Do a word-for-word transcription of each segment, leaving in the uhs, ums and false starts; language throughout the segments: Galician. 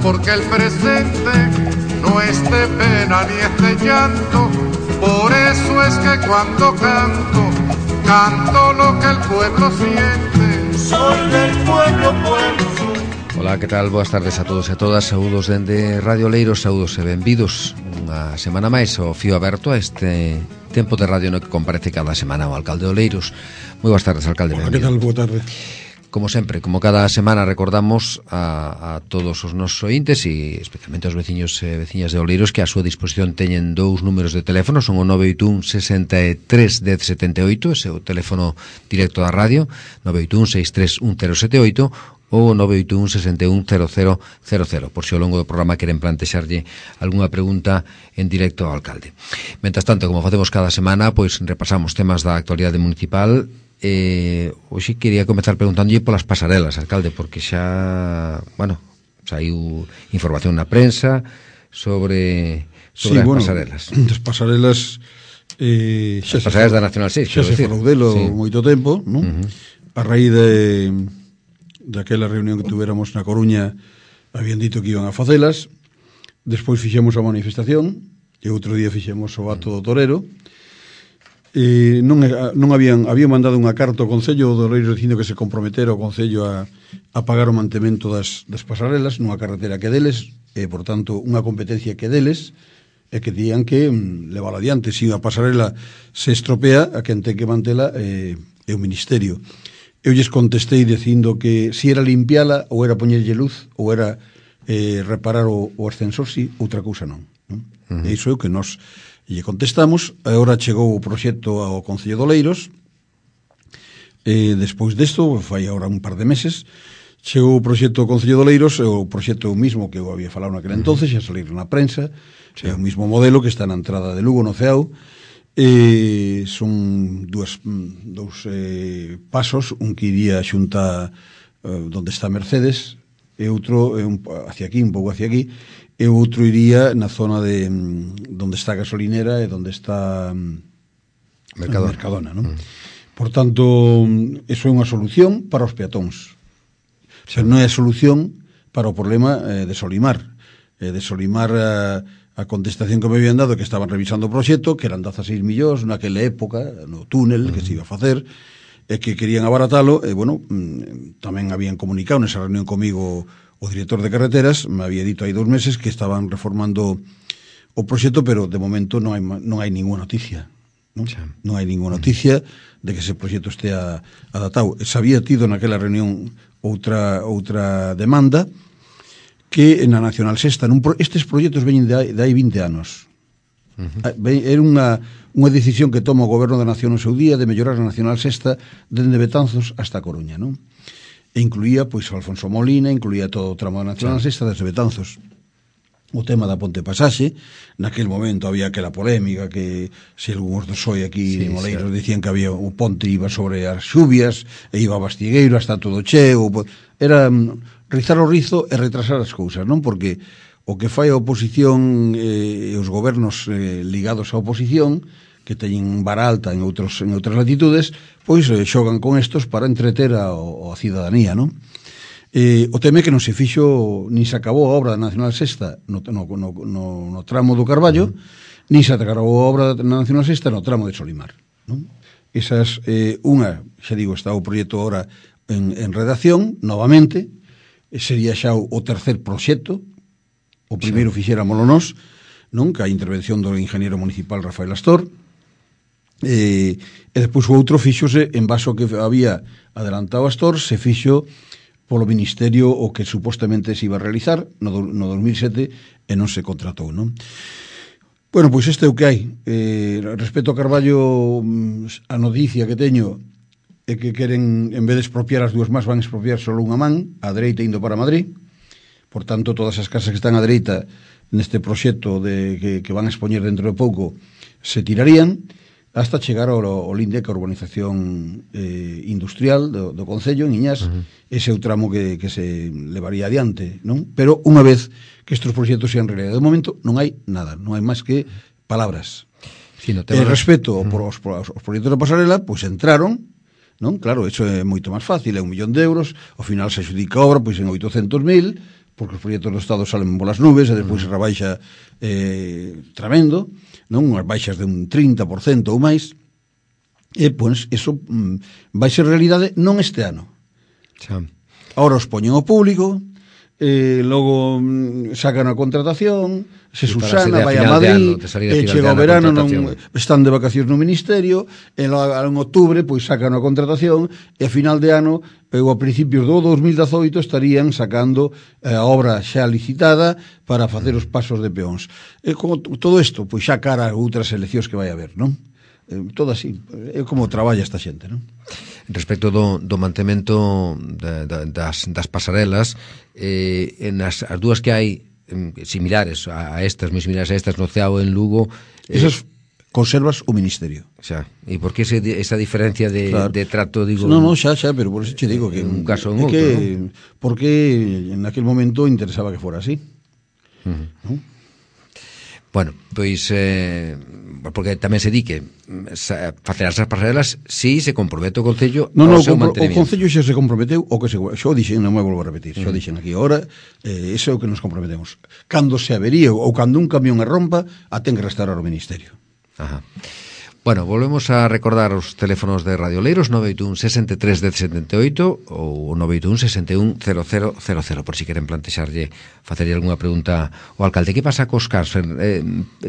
porque el presente no es de pena ni es de llanto. Por eso es que cuando canto, canto lo que el pueblo siente. Soy del pueblo, pueblo soy. Ola, que tal? Boas tardes a todos e a todas. Saúdos dende Radio Oleiros, saúdos e benvidos unha semana máis ao fío aberto a este tempo de radio no que comparece cada semana o alcalde de Oleiros. Moi boas tardes, alcalde. Hola, que tal? Boa tarde. Como sempre, como cada semana, recordamos a, a todos os nosos ointes e especialmente aos veciños e veciñas de Oleiros que a súa disposición teñen dous números de teléfono, son o nove oito un sesenta e tres dez setenta e oito, ese é o teléfono directo da radio, nove oito un seis tres un cero sete oito, ou nove oito un sesenta e un cero cero cero cero, por se ao longo do programa queren plantexarlle algunha pregunta en directo ao alcalde. Mentas tanto, como facemos cada semana, pois repasamos temas da actualidade municipal. Eh, hoxe quería comezar preguntándolle polas pasarelas, alcalde, porque xa, bueno, saiu información na prensa sobre sobre sí, as bueno, pasarelas. As pasarelas eh, xa as pasarelas da Nacional seis, xa se falou delo sí. moito tempo, non? Uh-huh. A raíz de daquela reunión que tuveramos na Coruña, habían dito que iban a facelas. Despois fixemos a manifestación e outro día fixemos o ato do torero. E non, non habían habían mandado unha carta ao Concello do Oleiros dicindo que se comprometera o Concello a, a pagar o mantemento das, das pasarelas nunha carretera que deles, e, por tanto, unha competencia que deles, e que dían que mm, levala adiante. Se a pasarela se estropea, a quen ten que mantela é, é o Ministerio. Eu lles contestei dicindo que se era limpiala, ou era poñerlle luz, ou era eh, reparar o, o ascensor, si, outra cousa non. non? Uh-huh. E iso é o que nos lle contestamos. Agora chegou o proxecto ao Concello de Oleiros, e despois desto, fai agora un par de meses, chegou o proxecto ao Concello de Oleiros, o proxecto mismo que eu había falado naquele entonces, xa salir na prensa, sí. É o mismo modelo que está na entrada de Lugo, no Ceao, e son dúas, dous eh, pasos, un que iría xunta eh, donde está Mercedes, e outro eh, un, hacia aquí, un pouco hacia aquí, e outro iría na zona de donde está a gasolinera e donde está Mercadona, Mercadona, non? Mm. Por tanto, eso é unha solución para os peatóns. Sí. Pero non é a solución para o problema eh, de Solimar. Eh, de Solimar a, a contestación que me habían dado que estaban revisando o proxecto, que eran dezaseis millóns naquela época, no túnel mm. que se iba a facer, e que querían abaratalo, e, bueno, tamén habían comunicado nesa reunión comigo o director de carreteras, me había dito hai dous meses que estaban reformando o proxecto, pero de momento non hai, non hai ninguna noticia, non? Non hai ninguna noticia de que ese proxecto estea adaptado. Se había tido naquela reunión outra outra demanda que na Nacional Sexta, nun pro, estes proxectos veñen de hai, de hai vinte anos. Uh-huh. Era unha, unha decisión que toma o Goberno da Nación no seu día de mellorar a Nacional Sexta dende Betanzos hasta Coruña, non? E incluía, pois, Alfonso Molina, incluía todo o tramo da Nacional sí. Sexta desde Betanzos. O tema da Ponte Pasaxe, naquele momento había aquela polémica que se algúns dos hoy aquí sí, en Oleiros sí. dicían que había o ponte iba sobre as xubias e iba a Bastigueiro hasta todo cheo. Era rizar o rizo e retrasar as cousas, non? Porque o que fai a oposición e eh, os gobernos eh, ligados á oposición, que teñen vara alta en outros en outras latitudes, pois eh, xogan con estos para entreter a, a cidadanía, non? Eh, o tema é que non se fixo, ni se acabou a obra da Nacional Sexta no, no, no, no, no tramo do Carballo, uh-huh. ni se acabou a obra da Nacional Sexta no tramo de Solimar, non? Esas, eh, unha, xa digo, está o proxecto ahora en, en redacción, novamente, sería xa o, o tercer proxecto, o primeiro sí. fixéramolo nós, non? Que a intervención do ingeniero municipal Rafael Astor, e, e depois o outro fixose en base ao que había adelantado Astor, se fixo polo Ministerio o que supostamente se iba a realizar no, no dos mil sete e non se contratou, non? Bueno, pois este é o que hai. Eh, respecto ao Carballo, a noticia que teño é que queren, en vez de expropiar as dúas más, van a expropiar só unha man, a dereita indo para Madrid. Por tanto, todas as casas que están a dereita neste proxecto de, que, que van a expoñer dentro de pouco se tirarían hasta chegar ao, ao linde que a urbanización eh, industrial do, do Concello, en Iñás, uh-huh. ese é o tramo que, que se levaría adiante, non? Pero unha vez que estes proxectos sean realidade, de momento non hai nada, non hai máis que palabras. Sí, no tema... E respecto uh-huh. por os, os, os proxectos da pasarela, pois pues entraron, non? Claro, eso é moito máis fácil, é un millón de euros, ao final se adjudica a obra pois en oitocentos mil, porque os proxectos do Estado salen polas nubes e despois se rebaixa eh, tremendo, non? Unhas baixas de un trinta por cento ou máis, e, pois, eso mm, vai ser realidade non este ano. Xa. Ahora os poñen ao público, eh, logo mm, sacan a contratación, se Susana vai a Madrid, e chega o verano, non están de vacacións no Ministerio, e logo en outubro pois sacan a contratación, e a final de ano, ou a principios do dos mil dezoito, estarían sacando eh, a obra xa licitada para facer os pasos de peóns. E como todo isto, pois xa cara a outras eleccións que vai haber, non? Eh, todo así, é como traballa esta xente, non? Respecto do, do mantemento de, de, das, das pasarelas, eh, en as, as dúas que hai similares a estas, moi similares a estas no Ceao en Lugo, eh, esas conservas o Ministerio. Xa, e por que ese, esa diferencia de, claro. de trato, digo? No, no, xa, xa, pero por eso che digo que un caso en outro, que, ¿no? Porque en aquel momento interesaba que fora así. Uh-huh. ¿No? Bueno, pois eh, porque tamén se di que facer as pasarelas si se compromete o Concello no, no, ao seu compro, mantenimiento. O Concello xa se comprometeu o que se, xo dixen, non me volvo a repetir, xo dixen aquí agora, eh, iso é o que nos comprometemos. Cando se avería ou cando un camión e rompa, a ten que restaurar o Ministerio. Ajá. Bueno, volvemos a recordar os teléfonos de Radio Oleiros, nove oito un, sesenta e tres, dez setenta e oito ou nove oito un, sesenta e un, cero cero cero cero, por si queren plantexarlle, facerlle algunha pregunta ao alcalde. Que pasa cos cars? Eh,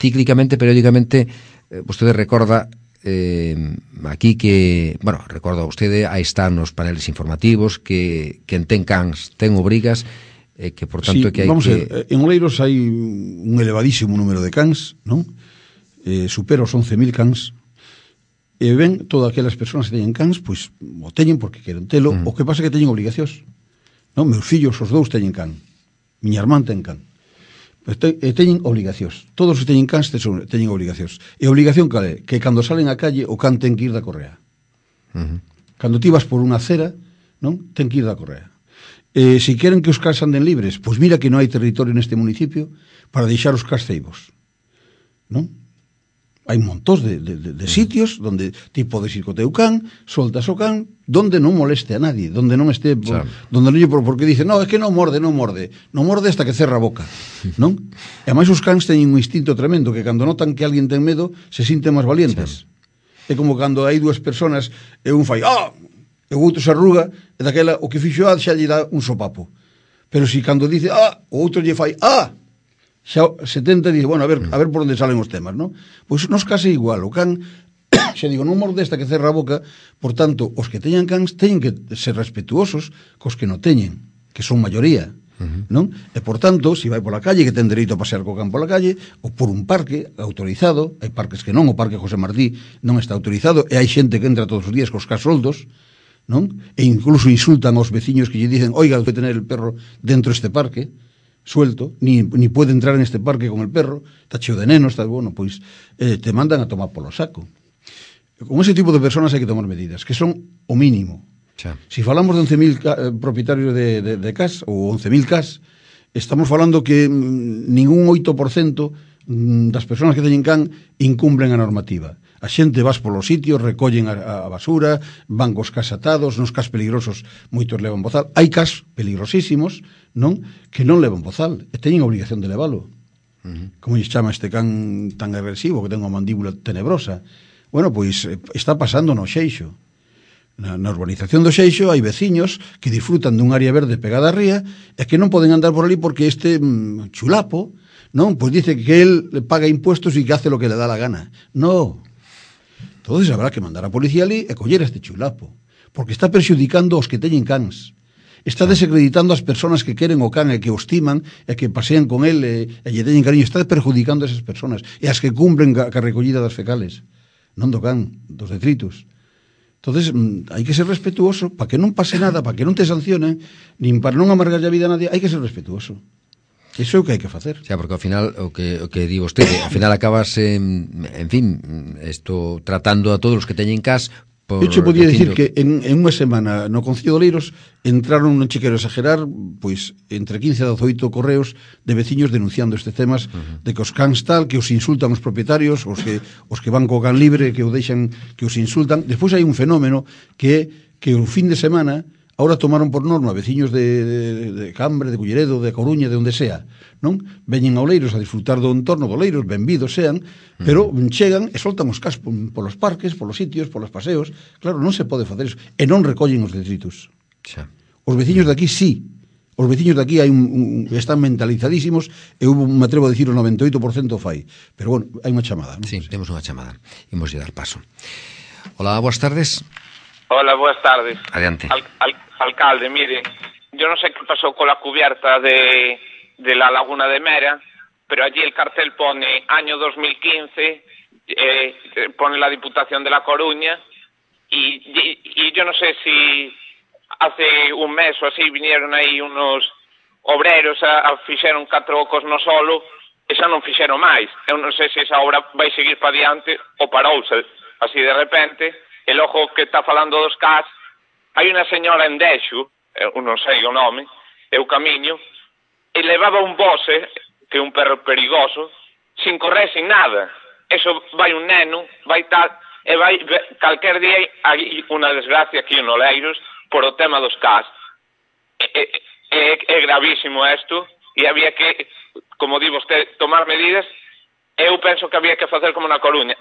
cíclicamente, periódicamente, eh, vostede recorda eh, aquí que, bueno, recorda vostede, aí están os paneles informativos, que quen ten cans ten obrigas, eh, que por tanto sí, que hai vamos que... A ver, en Oleiros hai un elevadísimo número de cans, non? Eh, supera os once mil cans, e ven todas aquelas persoas que teñen cans, pois o teñen porque queren telo, mm. o que pasa é que teñen obligacións, non? Meus fillos, os dous teñen can, miña irmán ten can, e teñen obligacións, todos os que teñen cans teñen obligacións, e a obligación cal é? Que cando salen á calle o can ten que ir da correa. Mm-hmm. Cando ti vas por unha acera, non? Ten que ir da correa. E se queren que os cans anden libres, pois mira que non hai territorio neste municipio para deixar os cans ceibos, non? Hai montós de, de, de, de sitios donde ti podes ir co teu can, soltas o can, donde non moleste a nadie, donde non este, por, donde non lle por, porque dice, no, é que non morde, non morde, non morde hasta que cerra a boca, non? E ademais os cans teñen un instinto tremendo, que cando notan que alguén ten medo, se sinten máis valientes. Sí. É como cando hai dúas personas e un fai, ah, e o outro se arruga, e daquela, o que fixo a, xa lle dá un sopapo. Pero si cando dice, ah, o outro lle fai, ah, xa setenta dice, bueno, a ver, a ver por onde salen os temas, non? Pois nos case igual, o can, xa digo, non morde esta que cerra a boca, por tanto, os que teñan cans teñen que ser respetuosos cos que non teñen, que son maioría, uh-huh. non? E por tanto, se si vai pola calle, que ten dereito a pasear co can pola calle, ou por un parque autorizado, hai parques que non, o parque José Martí non está autorizado, e hai xente que entra todos os días cos cas soldos, non? E incluso insultan aos veciños que lle dicen, oiga, debe tener el perro dentro deste parque, suelto, ni, ni puede entrar en este parque con el perro, está cheo de nenos, está, bueno, pois eh, te mandan a tomar polo saco. Con ese tipo de personas hai que tomar medidas, que son o mínimo. Xa. Si falamos de once mil eh, propietarios de, de, de cas, ou once mil cas, estamos falando que mm, ningún oito por cento mm, das persoas que teñen can incumplen a normativa. A xente vas polos sitios, recollen a, a basura, van cos cas atados, nos cas peligrosos moitos levan bozal. Hai cas peligrosísimos, non? Que non levan bozal, e teñen obligación de levalo. Uh-huh. Como lle chama este can tan agresivo, que ten unha mandíbula tenebrosa? Bueno, pois está pasando no Xeixo. Na, na urbanización do Xeixo hai veciños que disfrutan dun área verde pegada a ría e que non poden andar por ali porque este mm, chulapo, non? Pois dice que el paga impuestos e que hace lo que le da la gana. No. Entonces habrá que mandar a policía ali e coller a este chulapo, porque está perxudicando os que teñen cans. Está desacreditando as persoas que queren o can e que o estiman e que pasean con el e, e lle teñen cariño. Está perjudicando a esas persoas e as que cumplen ca, ca recollida das fecales, non do can, dos detritus. Entonces hai que ser respetuoso para que non pase nada, para que non te sancionen, nin para non amargar a vida a nadie. Hai que ser respetuoso. Iso é o que hai que facer. Xa, porque ao final, o que, o que di vostede, ao final acabas, en, en fin, esto tratando a todos os que teñen cas. Por Eu che podía dicir que en, en unha semana no Concello de Oleiros entraron, non che quero exagerar, pois entre quince e dezoito correos de veciños denunciando este temas, uh-huh. de que os cans tal, que os insultan os propietarios, os que os que van co can libre, que o deixan, que os insultan. Despois hai un fenómeno que que o fin de semana Ahora tomaron por norma veciños de, de, de Cambre, de Culleredo, de Coruña, de onde sea, non? Veñen a Oleiros a disfrutar do entorno de Oleiros, benvidos sean, pero chegan e soltan os cas polos parques, polos sitios, polos paseos. Claro, non se pode facer iso. E non recollen os detritus. Xa. Os veciños de aquí sí. Os veciños de aquí hai un, un, están mentalizadísimos e hubo, me atrevo a dicir, o noventa e oito por cento fai. Pero, bueno, hai unha chamada, non? Sí, temos unha chamada. Imos lle dar paso. Hola, boas tardes. Hola, buenas tardes. Adiante. Al, al, alcalde, mire, yo no sé qué pasó con la cubierta de, de la Laguna de Mera, pero allí el cartel pone año dos mil quince, eh, pone la Diputación de La Coruña, y, y, y yo no sé si hace un mes o así vinieron aí unos obreros a, a fixeron catro ocos no solo, e xa non fixeron máis. Eu non sei se esa obra vai seguir para diante ou parouse así de repente. El ojo que está falando dos C A S, hai unha señora en Dexo, eu non sei o nome, eu camiño, e levaba un bose, que é un perro perigoso, sin correr, sin nada. Eso vai un neno, vai tal, e vai, calquer día hai unha desgracia aquí en Oleiros por o tema dos C A S. É, é, é gravísimo isto, e había que, como di vostede, tomar medidas. Eu penso que había que facer como na Coruña,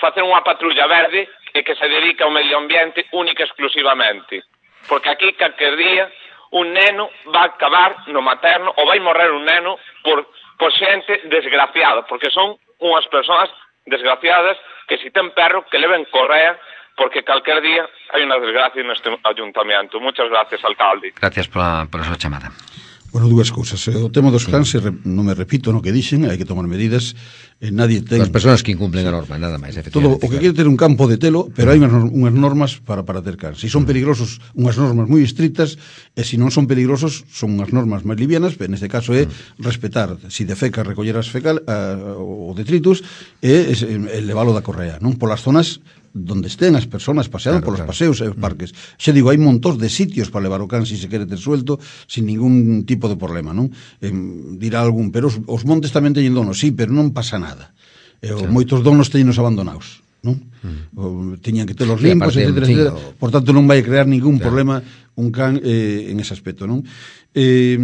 facer unha patrulla verde e que se dedica ao medio ambiente única e exclusivamente. Porque aquí, calquer día, un neno va a acabar no materno ou vai morrer un neno por, por xente desgraciada, porque son unhas persoas desgraciadas que si ten perro que leven correa, porque calquer día hai unha desgracia neste ayuntamiento. Muchas gracias, alcalde. Gracias pola, pola súa chamada. Bueno, dúas cousas. O tema dos cans, non me repito no que dixen, hai que tomar medidas. Eh, nadie ten... As persoas que incumplen a norma, nada máis, efectivamente. Todo o que quere ter un campo de telo, pero hai unhas, unhas normas para, para ter cans. Se son peligrosos, unhas normas moi estrictas, e se non son peligrosos, son unhas normas máis livianas, pero neste caso é respetar, se defeca, recoller as fecal, a, o detritus, e elevalo da correa, non? Polas zonas donde estén as persoas paseando, claro, polos claro. paseos e os parques. Xa digo, hai montós de sitios para levar o can se si se quere ter suelto sin ningún tipo de problema, non? Eh, dirá algún, pero os, os montes tamén teñen donos, sí, pero non pasa nada. Eh, claro. Moitos donos teñenos abandonados, non? Mm. O, teñan que telos limpos, sí, etcétera, etcétera. O... Por tanto, non vai a crear ningún claro. problema un can eh, en ese aspecto, non? Eh,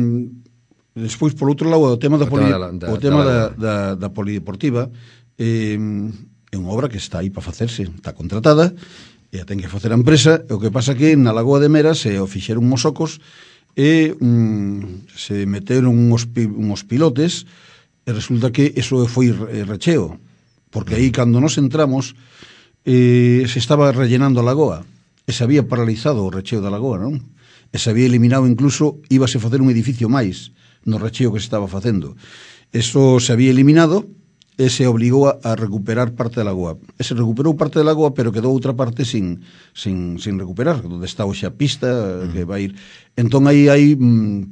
despois, por outro lado, o tema da, o poli, tema da, o tema da, da, da, da polideportiva, eh, é unha obra que está aí para facerse, está contratada e a ten que facer a empresa. O que pasa que na Lagoa de Mera se o fixeron uns ocos e mm, se meteron uns, uns pilotes e resulta que eso foi recheo, porque aí cando nos entramos eh, se estaba rellenando a lagoa e se había paralizado o recheo da lagoa, non? E se había eliminado, incluso íbase a facer un edificio máis no recheo que se estaba facendo. Eso se había eliminado e se obligou a recuperar parte da lagoa. E se recuperou parte da lagoa, pero quedou outra parte sin, sin, sin recuperar, onde está hoxe a pista, uh-huh. que vai ir. Entón, aí, aí,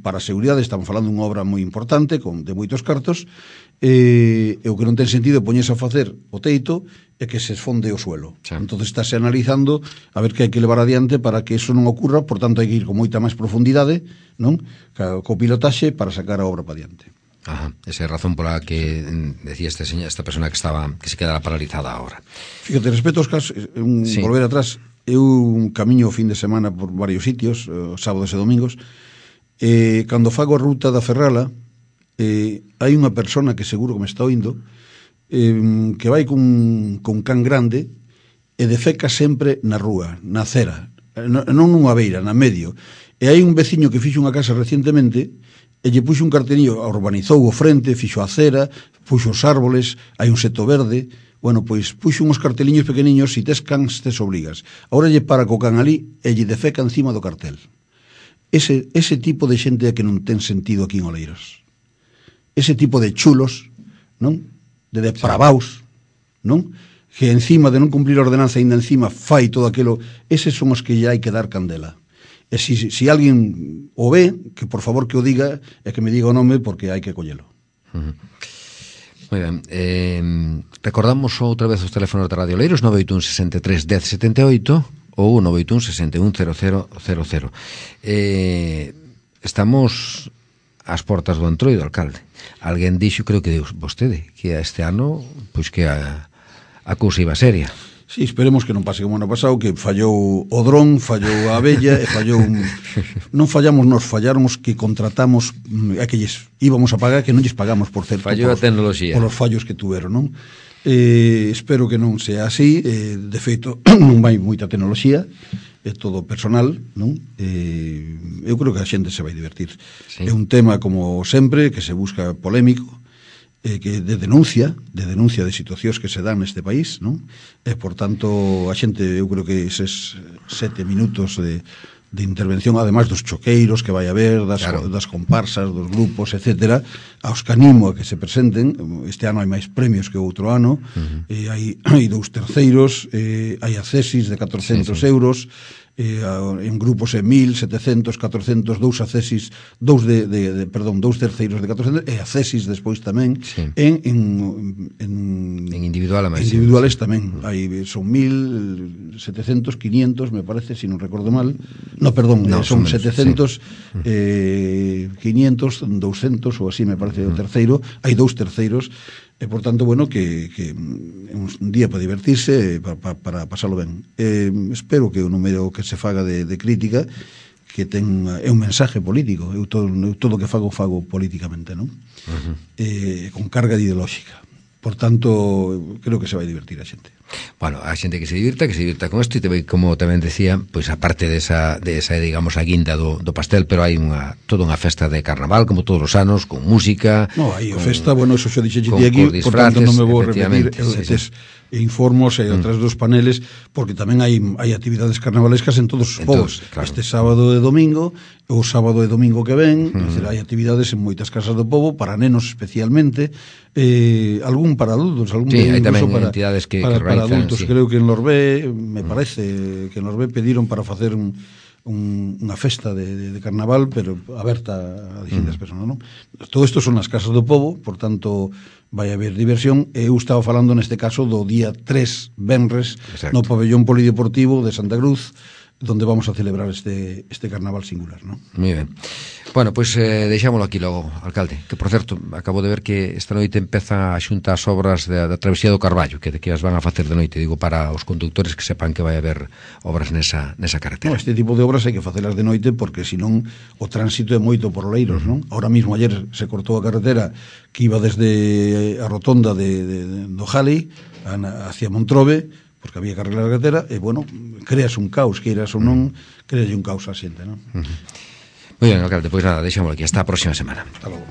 para a seguridade, estamos falando dunha obra moi importante, con, de moitos cartos, e, e o que non ten sentido é poñerse a facer o teito e que se esfonde o suelo. Sí. Entón, estáse analizando a ver que hai que levar adiante para que eso non ocurra, por tanto, hai que ir con moita máis profundidade, non? Co, co pilotaxe para sacar a obra para adiante. Ajá, esa é a razón pola que decía este señor, esta persona que estaba que se quedara paralizada agora. Fíjate, respecto aos casos, un, sí. volver atrás, eu un camiño o fin de semana por varios sitios, eh, sábados e domingos, e cando fago a ruta da Ferrala, eh, hai unha persona que seguro que me está oindo, eh, que vai cun, cun can grande e defeca sempre na rúa, na acera, non nunha beira, na medio. E hai un veciño que fixo unha casa recientemente e lle puxo un cartelillo, urbanizou o frente, fixo a acera, puxo os árboles, hai un seto verde. Bueno, pois puxo uns carteliños pequeniños, si tes cans, tes obrigas. Ahora lle para co can ali e lle defeca encima do cartel. Ese, ese tipo de xente que non ten sentido aquí en Oleiros. Ese tipo de chulos, non? De depravaos, non? Que encima de non cumplir a ordenanza, ainda encima fai todo aquilo. Eses son os que lle hai que dar candela. E se si, si alguén o ve, que por favor que o diga e que me diga o nome, porque hai que collelo. Uh-huh. Moi ben. Eh, recordamos outra vez os teléfonos de Radio Oleiros, nove oito un, sesenta e tres, dez, setenta e oito ou nove oito un, sesenta e un, cero cero cero cero. Eh, estamos ás portas do Entroido, alcalde. Alguén dixo, creo que vostede, que este ano pois que a, a cousa iba seria. Sí, esperemos que non pase como ano pasado, que fallou o dron, fallou a abella e fallou un... non fallamos nos, fallaron os que contratamos a que lles íbamos a pagar, que non lles pagamos, por certo, fallou a tecnoloxía, por os fallos que tuveron, non? Eh, espero que non sea así, eh, de feito non vai moita tecnoloxía, é todo personal, non? Eh, eu creo que a xente se vai divertir. Sí. É un tema, como sempre, que se busca polémico, eh, que de denuncia, de denuncia de situacións que se dan neste país, non? E, por tanto, a xente, eu creo que eses sete minutos de, de intervención, ademais dos choqueiros que vai haber, das, claro. das comparsas, dos grupos, etcétera, aos que animo a que se presenten. Este ano hai máis premios que outro ano, uh-huh. e hai, hai dous terceiros, eh, hai accesis de catrocentos sí, sí. euros, eh, en grupos de mil, setecentos, catrocentos, dous accesis, dous de, de, de perdón, dous terceiros de catrocentos e accesis despois tamén sí. en, en, en en individual a máis individuales sí. tamén. Hai son mil setecentos, quinientos, me parece, se si non recordo mal. No, perdón, no, son, son setecentos, sí. eh, quinientos, doscientos ou así me parece o terceiro. Hai dous terceiros. E, por tanto, bueno, que, que é un día para divertirse, para, para, para pasarlo ben. Eh, espero que o número que se faga de, de crítica que ten, é un mensaje político. Eu todo, eu todo o que fago, fago políticamente, non? Uh-huh. Eh, con carga ideolóxica. Por tanto, creo que se vai divertir a xente. Bueno, a xente que se divirta, que se divirta con isto, e tamén, como tamén decía, pois aparte desa, desa digamos, a guinda do, do pastel, pero hai unha, toda unha festa de carnaval, como todos os anos, con música. No, hai a festa, bueno, eso xa dixeche aquí, por tanto non me vou repetir, sí, sí. Informos e outras mm. dos paneles, porque tamén hai hai actividades carnavalescas en todos os povos. Claro. Este sábado e domingo, o sábado e domingo que ven, mm. decir, hai actividades en moitas casas do povo, para nenos especialmente, eh, algún para adultos, algún sí, hai tamén para, entidades que, para, que para adultos, sí. Creo que en Lorbé, me mm. parece que en Lorbé pediron para facer un Un, unha festa de, de, de carnaval, pero aberta a distintas mm. personas, non? Todo isto son as casas do povo, por tanto vai haber diversión. Eu estaba falando neste caso do día tres venres Exacto. No pabellón polideportivo de Santa Cruz, donde vamos a celebrar este, este carnaval singular, non? Moi ben. Bueno, pois pues, eh, deixámoslo aquí logo, alcalde, que por certo, acabo de ver que esta noite empeza a xunta as obras da, da travesía do Carballo, que, que as van a facer de noite, digo, para os conductores que sepan que vai haber obras nesa, nesa carretera. No, este tipo de obras hai que facelas de noite, porque senón o tránsito é moito por Oleiros, non? Ahora mismo, ayer, se cortou a carretera que iba desde a rotonda de, de, de, do Jali hacia Montrobe, porque había que arreglar a carretera, e, bueno, creas un caos, que iras ou non, creas un caos a xente, non? Uh -huh. Moi ben, alcalde, pois nada, deixámoslo aquí, hasta a próxima semana. Hasta logo.